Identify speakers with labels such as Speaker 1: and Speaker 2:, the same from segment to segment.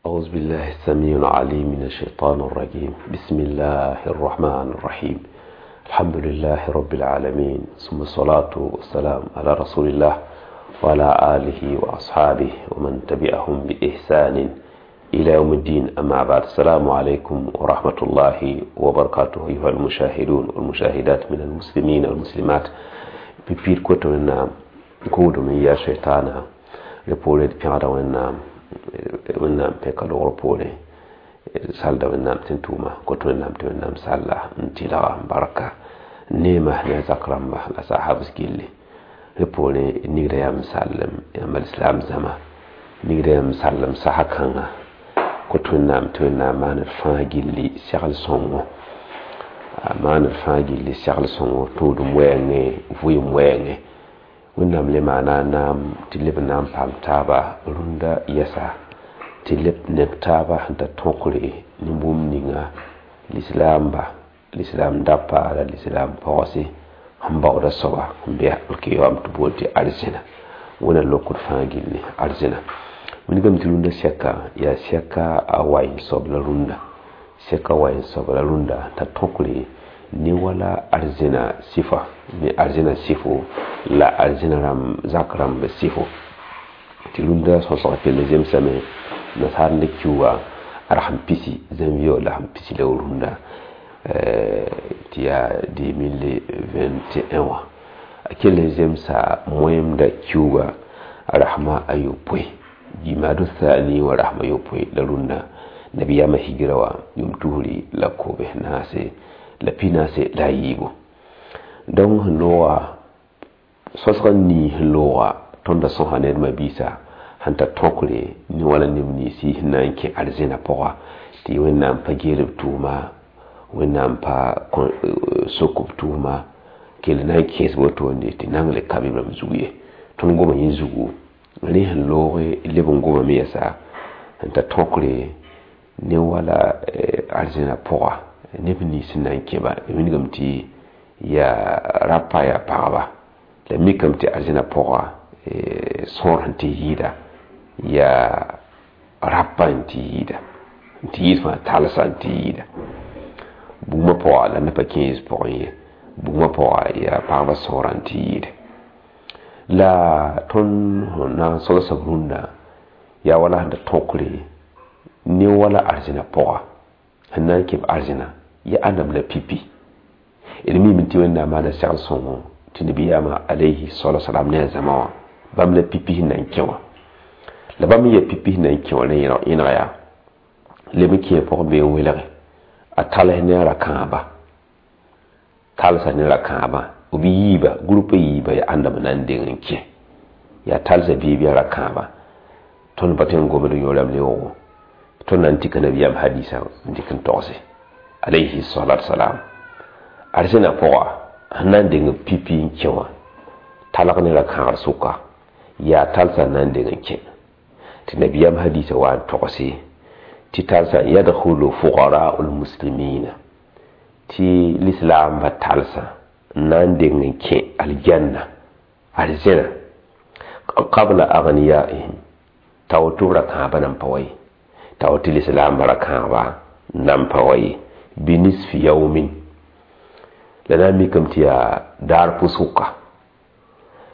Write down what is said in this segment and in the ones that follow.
Speaker 1: أعوذ بالله السميع العليم من الشيطان الرجيم. بسم الله الرحمن الرحيم. الحمد لله رب العالمين، ثم الصلاة والسلام على رسول الله وعلى آله وأصحابه ومن تبعهم بإحسان إلى يوم الدين. أما بعد، السلام عليكم ورحمة الله وبركاته أيها المشاهدون والمشاهدات من المسلمين والمسلمات. بيبير كوتو كودو من يا شيطانا ريبوري بيادا وين wẽnnaam pẽka logr poorẽ salda wẽnnaam tɩ n tʋʋma kot wẽnnaam tɩ wẽnnaam salla n tɩlga n barka neema ne a zak rãmba la sahabs gilli rẽ poorẽ nigrã yaa m sallem yãmb alislam zãma nigrã yaa m sallem sasa kãnga kot wẽnnaam tɩ wẽnnaam maan d fãa gilli segl sõngo a maan d fãa gilli segl sõngo tũudum wɛɛngẽ vʋɩɩm wɛɛngẽ wẽnnaam le maana a naam tɩ leb n na n paam taaba rũndã yɛsa tɩ leb neb taaba sẽn ta tõkre ne bũmb ninga lislaamba lislaam dapa la lislaam pɔgse sẽn baooda soaba n be alkiyoam tɩ bool tɩ arzẽna wẽna lokd fãa gilli arzẽna wilgame tɩ rũndã sɛka yaa sɛka a waɩ soab la rũndã sɛka waɩ soab la rũndã t'a tõkre ne wala arzẽna sɩfa ne arzẽna sɩfo la arzẽna rãmb zak rãmb sɩfo tɩ rũndã sõsg kell zemsame nasaar ne kiuga a pisi janvier la sẽn pisi la rũndã tɩ yaa 2021 wã a kell n zemsa moẽmda kiuga a rasma a yopoe jimadu thani wa rasma yopoe la rũndã nabiyaamã higra wã yʋʋm tusri la kobs naase la pinaase la a yiibu donc sẽn looga sõsg n nii sẽn looga tõnd da sõsa ned mabiisa sẽn ta tõkre ne wala neb ninsi sẽn na n kẽ arzẽna pʋga tɩ wẽnnaam pa geel b tʋʋma wẽnnaam pa sok b tʋʋma kell na n kẽes wotone tɩ nang le ka b rãmb zug ye tõnd goma yẽ zugu rẽ sẽn looge leb n gomame yɛsa sẽn ta tõkre ne wala arzẽna pʋga neb nins sẽn na n kẽba wilgame tɩ yaa rapa yaa pagba la mikame tɩ arzẽna pʋga sõor sẽn tɩ yɩɩda yaa rapa n tɩ yɩɩda n tɩ yɩɩd fãa talsa n tɩ yɩɩda bugmã pʋga la neb pa kẽes pʋgẽ ye bugmã pʋga yaa pagba sõora n tɩ yɩɩda la tõnd sẽn na n sogsb rũndã yaa wala sẽn da tõkre ne wala arzẽna pʋga sẽn na n kẽb arzẽna ya ãndame la pipi d mime tɩ wẽnnaam maana segl sõngo tɩ nabiyaamã alayhi salatu salam ne a zãma wã bãmb la pipi sẽn na n kẽ wã la bãmb n yaa pipi sẽn na n kẽ wã rẽ yẽneg yaa leb n kẽ pʋgẽ bee n welge a tals ne a ra-kãaba talsa ne ra-kãabã b yiiba groupe yiiba yaa ãndame na n deng n kẽ yaa talsa biib yaa ra-kãabã tõnd pa tõe n gomd yõorame leoogo tõnd na n tika nabiyaam hadisa n dɩk n togse alayhi salatu salam arzẽna pʋga sẽn na n deng pipi n kẽ wã talg ne ra-kãagr sʋka yaa talsa n na n deng n kẽ tɩ nabiyaam hadisa wa n togse tɩ talsa yadkhulu fuqara'u lmuslimina tɩ lislaamba talsã n na n deng n kẽ aljanna arzẽna qabla aghniyaihim t'a woto b ra-kãabã nan pa wa ye t'a woto lislaambã ra-kãabã nan pa wa ye binisfi yaumin la na n mikame tɩ yaa daar pʋsʋka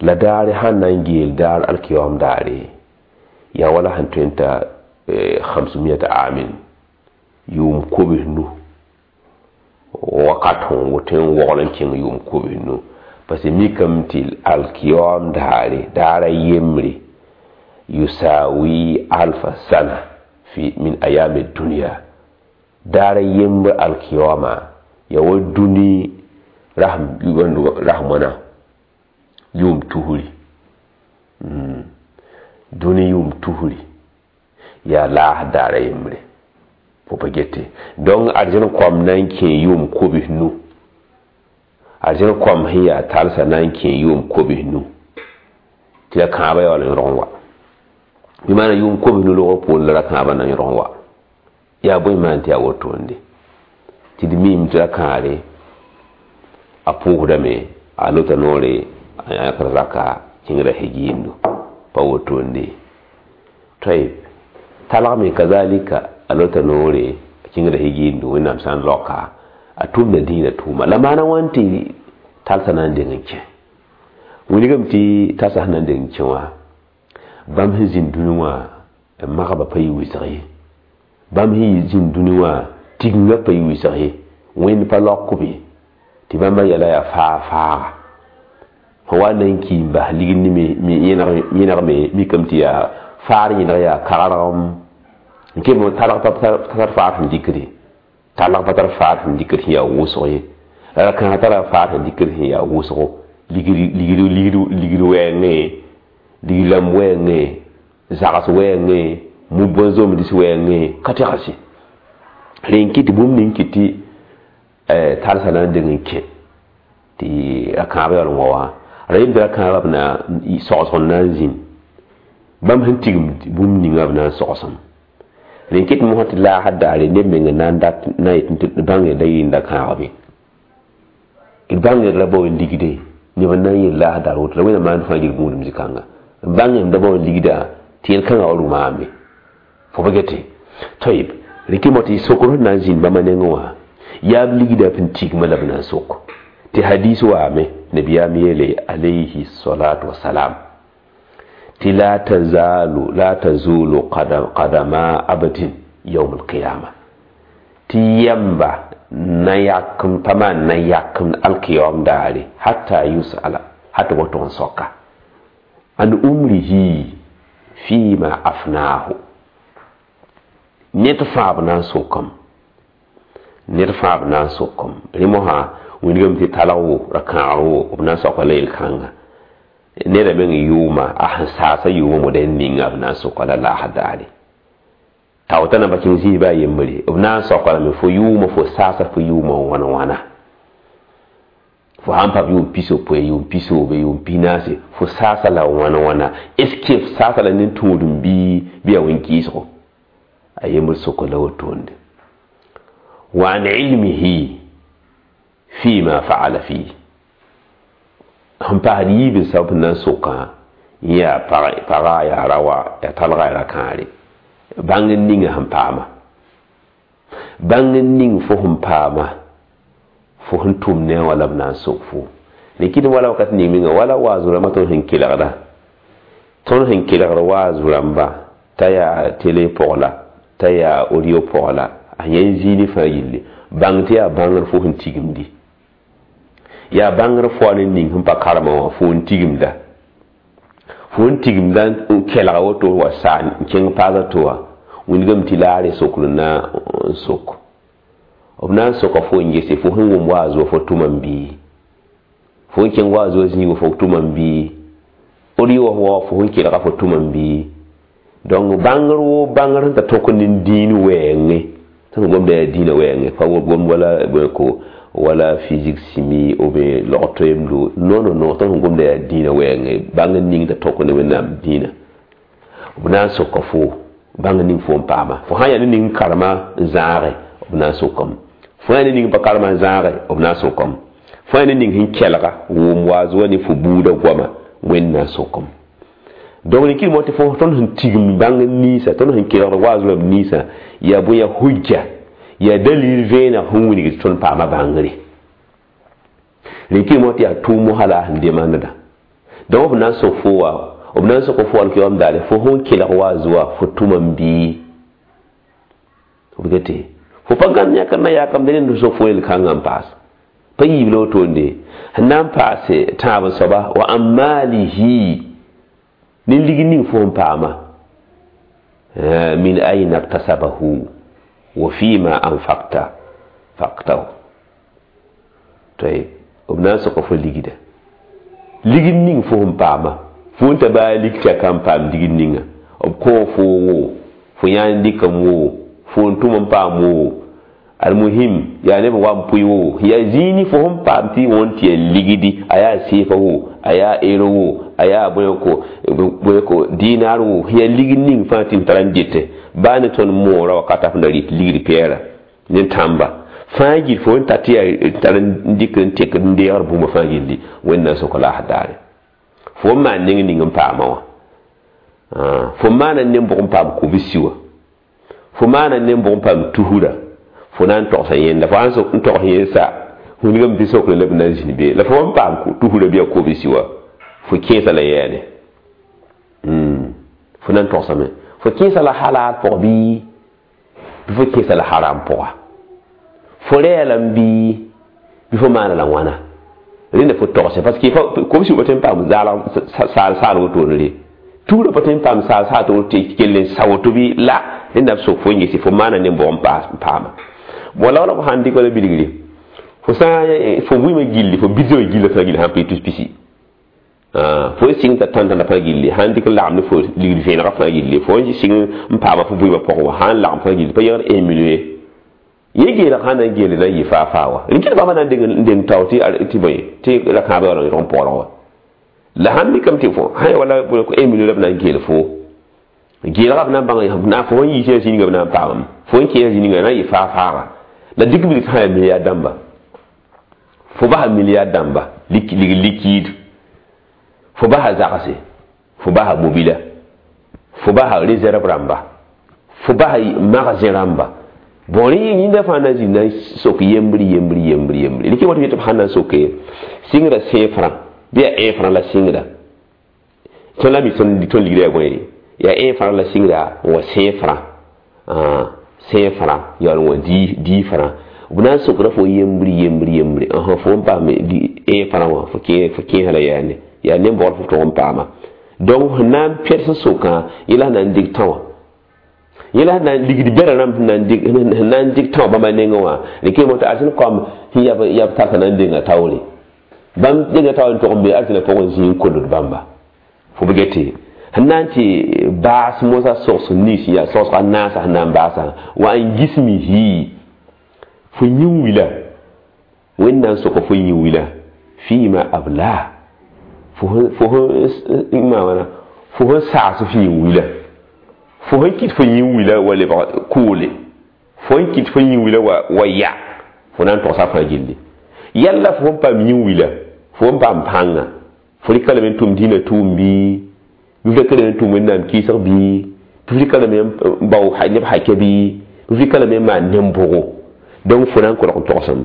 Speaker 1: la daare sãn na n geel daar alkiyoam daare yaa wala sẽn tõe n ta 500 amin yʋʋm kobs nu wakat sẽn woto n wogl n kẽng yʋʋm kobs nu parce que mikame tɩ alkiyoam daare daara yembre yusawi alfa sana fi min ayami dunya daara yembre alkiyoama ya wa dũni rasm wãna yʋʋm tusri dũni yʋʋm tusri yaa laas daara yembre fo pa gete donc arzẽn koam na n kẽ yʋʋm kobs nu arzẽn koam sẽn yaa talsã na n kẽ yʋʋm kobs nu tɩ la kãabã yaa wala yõrg n wa bɩ maana yʋʋm kobs nu logr poorẽ la ra-kãabã na yõrg n wa yaa bõe maan tɩ yaa wotoonde tɩ d miime tɩ ra-kãare a pʋʋsdame a lota noore a yãkr raka kẽngra hegiindo pa wotoonde tɩ Talgame kazalika a lota noore a kẽngda higiindu wẽnnaam sã n raoka a tʋmda dĩinã tʋʋma la maana wãn tɩ talsã na n deng n kẽ wilgame tɩ talsã sẽn na n deng n kẽ wã bãmb sẽn zĩnd dũni wã magba pa yɩ wɩsg ye bãmb sẽn zĩnd dũni wã tigingã pa yɩ wɩsg ye wẽnd pa laok b ye tɩ bãmba yɛla yaa faa faaga fo wa na n ki n bas ligd ne yẽnegme mikame tɩ yaa faar yẽneg yaa kagrgem n kem talg pa tar faar sẽn dɩkd ye talg pa tar faar sẽn dɩkd sẽn yaa wʋsg ye la ra-kãag tara faar sẽn dɩkd sẽn yaa wʋsgo ligd wɛɛngẽ ligd rãmb wɛɛngẽ zags wɛɛngẽ mub zomds wɛɛngẽ ka tegs ye rẽ n kɩt tɩ bũmb ning kɩt tɩ talsã na n deng n kẽ tɩ ra-kãabã yaool n wa wã ra yem tɩ ra-kãabã b na sogsg n na n zĩnd bãmb sẽn tigim bũmb ninga b na n sogsem rẽ kɩt mosã tɩ laasd daare neb meng na n dat na yet tɩ bãng da yɩɩn da kãagbe d bãng ra bao n ligde neb n na n yel laasd daar woto la wẽnnaam maan fãa yel gũudum zĩ-kãnga n bãng da bao n ligda tɩ yel-kãngã wa rʋmaame fo pa gete tayib rẽ kɩ mo tɩ sokr sẽn na n zĩnd bãmba nengẽ wã yaa b ligda p n tigma la b na n sok tɩ hadis waame nabiyaam yeele alayhi salatu wasalam tɩ la tazalu la tazulu qadama abdin yawm alqiyama tɩ yɛmba na yakem pa maan na yakem alkiyam daare hatta yusala hata wato n soka an umrihi fima afnahu ned fãa b na n sokam ned fãa b na n sokam rẽ mosã wilgame tɩ talg wo ra-kãagr wo b na n soaka la yel-kãnga neda meng yʋʋma a sẽn saasa yʋʋma moda n ninga b na n soka la laasd daare tao t'a na pa kẽng zĩig baa yembre b na n soaka lame fo yʋʋma fo saasa fo yʋʋma wãna wãna fo sãn paam yʋʋm pisopoe yʋʋm pisoobe yʋʋm pinaase fo saasa la wãna wãna est ce que f saasa la ne tũudum bɩ yaa wẽn-kɩɩsgo a yembr soka la wotonde wa an ilmihi fima faala fi sẽn paasd yiib n sabab na n sokã yaa paga yaa rawa yaa talga yaa ra-kãare bãng n ninga sẽn paama bãng n ning fo sẽn paama fo sẽn tʋm ne a wã la b na n sok fo rẽ kɩt wala wakat ning menga wala waaz rãmbã tõnd sẽn kelgda tõnd sẽn kelgd waaz rãmba t'a yaa tele pʋg la t'a yaa audio pʋg la a yẽ zĩini fãa yelle bãng tɩ yaa bãngr fo sẽn tigimdi yaa bãngr fo a ne ning sẽn pa karema wã fo n tigimda fo n tigimda n kelga woto wa saa n kẽng paas to wã wilgame tɩ laare sokr na n sok b na n soka fo n gese fo sẽn wʋm waaz wa fo tʋma n bii fo n kẽng waaz wa zĩig fo tʋma n bii audio wa fo sẽn kelga fo tʋma n bii donc bãngr wo bãngr sẽn ta tõk ne dĩin wɛɛngẽ tõnd gomda yaa dĩinã wɛɛngẽ pa gom wala ko wala physique chimie ou bien log toemdo non non non tõnd sẽn gomda yaa dĩinã wɛɛngẽ bãng n ning t'a tõk ne wẽnnaam dĩinã b na n soka fo bãng n ning fo n paama fo sã n yaa ne ning karema n zãage b na n sokame fo yaa ne ning pa karema n zãage b na n sokame fo yaa ne ning sẽn kelga wʋm waaz wa ne fo buudã goama wẽnd na n sokame donc rẽ kɩr mo tɩ fo tõnd sẽn tigim bãng ninsã tõnd sẽn kelgd waaz rãmb ninsã yaa bõe yaa hujja yaa dalil vẽeneg sẽn wilg tɩ tõnd paama bãngre rẽ kɩr mo tɩ yaa tʋʋm mosã la a sẽn demandda donc b na n sok fo wa b na n sok fo alkiyam daare fo sẽn kelg waaz wa fo tʋma n bii b gete fo pa gãnd yãkr na yakamde rẽnd sok fo yel-kãngã n paas pa yiib la wotonde sẽn na n paase tãab n soaba wa an maalihi ne lig ning fo n paama min aina iktasabahu wa fima anfaqta faqtahu tayib b na n soka fo ligda ligd ning fo sẽn paama fo n ta baa lig tɩ a kan paam ligd ninga b kõ fo wo fo yãan dɩkame wo fo n tʋm n paam wo almuhim yaa neb wa n pʋɩ wo yaa zĩini fo sẽn paam tɩ wõn tɩ yaa ligdi a yaa seefa wo a yaa ero wo a yaa bõe ko dinar wo yaa ligd ning fãa tɩ m tara n dɩtɛ baa ne tõnd moora wakata f na rɩt ligd pɛɛra ne tãmba fãa gil fo n tat tɩ yaa tar n dɩk n tek n deegr bũmba fãa gilli wẽnd na n sok laas daare fo n maan neng ning n paama wã fo maana ne n bʋg n paam kubsi wã Fo maana ne-bʋg n paam tusra, fo na n togsa yẽnda, fo sãn n togs yẽ sa, wilgame tɩ sokre la b na n zĩnd be, la fo n paam tusra bɩ a kobsi wa, fo kẽesa la yɛɛne. Fo na n togsame. Fo kẽesa la halal pʋg bɩ fo kẽesa la haram pʋga. Fo rɛɛlame bɩ fo maana la wãna. Rẽnda fo togse, parce que kobsi pa tõe n paam saal saal wotone re. Tuurã pa tõe n paam saal saal tɩ kell n sa woto bɩ la rẽnda b sok fo n gese fo maana ne-bʋg n paama. Bon, la wala fo sãn dɩk wala bilgre, fo sã fo vɩɩmã gilli, fo bidsã gilla fãa gilli sãn pa tus pisi, fo sɩng t'a tãn-tãnda fãa gilli, sãn dɩk n lagem ne fo ligd vẽenegã fãa gilli, fo n sɩng n paama fo vɩɩmã pʋgẽ wã, sãn lagem fãa gilli pa yẽgd 1 million ye. Yẽ geelg sãn na n geele na n yɩ faa-faa wa. Rẽ bãmba na n deng tao tɩ bõe tɩ la kãabã wala n pɔɔlg wa. La sãn mikame tɩ fo sã wala 1 million la b na n geel fo. Geelgã b na n bãng na fo n yiis zĩnigã b na n paamame. Fo n kẽes zĩnigã na n yɩ faa-faaga. La dɩk bilg sã n yaa milliard dãmba. Fo basa milliard dãmba lig liquide. Fo basa zagse, fo basa mobila, fo basa réserve rãmba, fo basa magasin rãmba. Bon, rẽ yĩnda fãa na zĩnd na n sok yembr yembr yembr yembre. Rɩk woto tɩ b sãn na n soke sɩngrã 5 francs bɩ yaa 1 franc la sɩngrã. Tõnd la mi tõnd ligrã yaa bõe? Yaa 1 franc la sɩngrã n wa 5 francs. 5 francs yaool n wa 10 francs. B na n sokra fo yembr yembr yembre. Fo n paam 1 franc wã, fo kẽesa la yaane. Yaa ne-bɔgl fo tʋg n paama. Donc sẽn na n pɛds n sokã, yẽla sẽn na n dɩk tão wã. Yẽla sẽn na n ligd bɛrã rãmb sẽn na n dɩk tão bãmba nengẽ wã, rɩk n tɩ arzẽn kaoam sẽn yab tarsa na n denga taoore. Bãmb denga taoor n tog n be arzẽna pʋgẽ zĩig n kolgd bãmba. Fo b gete sẽn na n tɩ baas mosã sogs nins yaa sogsga naasã sẽn na n baasã wa n gismihi fo yĩn wila. Wẽnnaam soka fo yĩn wila fɩɩma abla. Fo sẽn saas f yĩn wila. Fo sẽn kɩt fo yĩn wila wa lebg koole. Fo sẽn kɩt fo yĩn wila wa ya. Fo na n togsa fãa gilli. Yalla fo sẽn paam yĩn wila, fo sẽn paam pãnga, fo rɩka lame n tʋm dĩinã tʋʋm bɩ, bɩ f rɩka lame n tʋm Wẽnnaam kɩɩsg bɩ, bɩ f rɩka lame n bao neb hakɛ bɩ, bɩ f rɩka lame n maan nen-bʋgo. Donc fo na n kolg n togsem.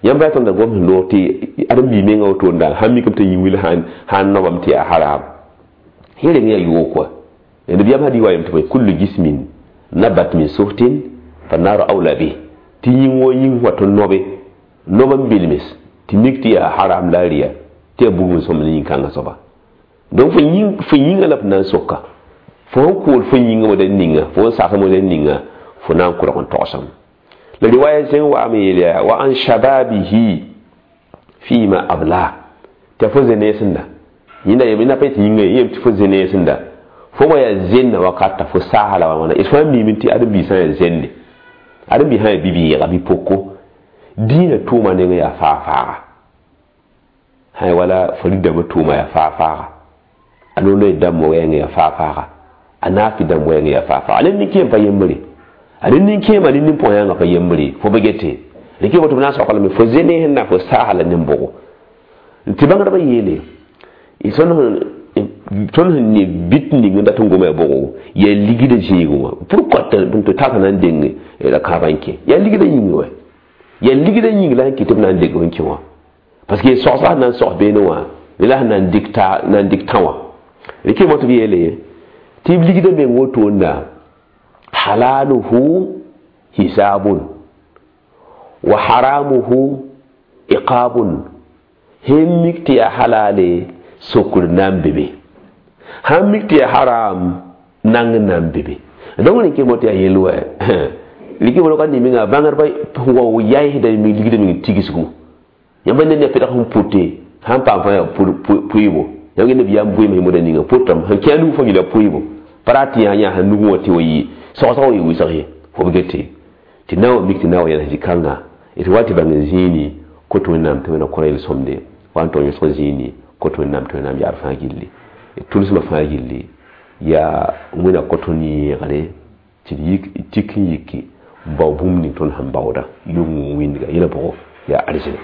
Speaker 1: Yãmb ra tõnda gom sẽn loog tɩ ãdem-biig mengã woto n sãn mikame tɩ yĩn wil sãn nobame tɩ yaa haram. Yẽ reng yaa yoog kɔa. Nabiyaam hadɩ wa yem tɩ kullu jismin nabat min suhtin fa naru awla bih. Tɩ yĩng wã yĩng wa tɩ nobe, nob n bilmes tɩ mik tɩ yaa haram la rɩya, tɩ yaa bugum sõm ne yĩn-kãngã soaba. Donc fo yĩngã la f na n soka. Fo sẽn kool fo yĩngã model ninga, fo sẽn saasa model ninga, fo na n kolg n togsem. La riwaya zẽng wa'ame yeel yaa wa an shababihi fima abla. Tɩ fo zeneesẽnda. Yẽnda yem na pa tɩ yĩngã yem tɩ fo zeneesẽnda. Fo wa yaa zẽnna wakata fo saasa la wãna. D fãa miime tɩ ãdem-biig sã n yaa zẽnde. Ãdem-biig sã n yaa bi-bɩɩga bɩ poko. Dĩinã tʋʋma nengẽ yaa faa-faaga. Sã wala fo rɩdãmbã tʋʋma yaa faa-faaga. A no-loe dãmb wɛɛngẽ yaa faa-faaga. A naafi dãmb wɛɛngẽ yaa faa-faaga. A nin-kẽem pa yembre. A nin-kẽemã nin-pʋgã yãnga pa yembre. Fo ba gete. Rɩk woto b na n soaka lame fo zenes sẽn na fo saasa la nen-bʋgo. Tɩ bãngdbã yeele, tõnd sẽn ne bit ning n dat n goma yaa bʋgo, yaa ligdã zĩigẽ wã. Pourquoi tɩ tasa na n deng la kãabã n kẽ? Yaa ligdã yĩngẽ wɛ. Yaa ligdã yĩng la sẽn kɩt tɩ b na n deng n kẽ wã. Parce que sogsga sẽn na n sogs beene wã, la sẽn na n dɩk tã wã. Rɩk tɩ b yeele tɩ b ligdã meng wotoonda halaluhu hisabun wa haramuhu iqabun. Sẽn mik tɩ yaa halale sokr na n be be, sãn mik tɩ yaa haram nang na n be be. Donc rẽk tɩ yaa yel wɛ. Rɩk mo ka ne menga bãngdbã wa yaɩsda ligdã meng tigsgo. Yãmb ne ne pɛdg sẽn pʋte sãn paam fãa yaa pʋɩɩbo. Yãmb nabiyaam bʋɩɩm sẽn moda ninga pʋtame sẽn kẽ a nug fãa gila pʋɩɩbo. Pa rat tɩ yã sẽn nugẽ wã tɩ wa yɩ sogsg wa yɩ wɩsg ye. Fo b gete tɩ na wa mik tɩ na wa yɛls zĩ-kãnga d wa tɩ bãng n zĩini kot Wẽnnaam tɩ Wẽnna kõ yel-sõmde wa n tog yõsg zĩini kot Wẽnnaam tɩ Wẽnnaam yaab fãa gilli. D tʋlsmã fãa gilli yaa Wẽnna kõ tõnd yẽegre tɩ d yik tik n yiki n bao bũmb ning tõnd sẽn baooda yʋng wĩndga yẽla pʋgẽ yaa arzẽna.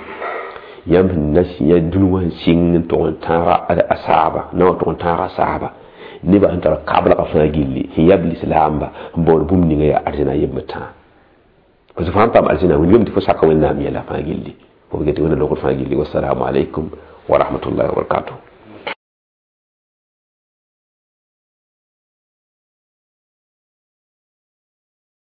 Speaker 1: Yãmb sẽn na yã dũni wã sẽn sɩng n tog n tãaga a saaba, na wã tog n tãaga a saaba. Nebã sẽn tar kablgã fãa gilli, sẽn yab lislaamba n baood bũmb ninga yaa arzẽna yembr tãa, parce que fãa n paam arzẽna wilgame tɩ fo saka Wẽnnaam yɛla fãa gilli, fo get Wẽnna logr fãa gilli. Wassalamu alaikum wa rahmatullahi wa barakatuh.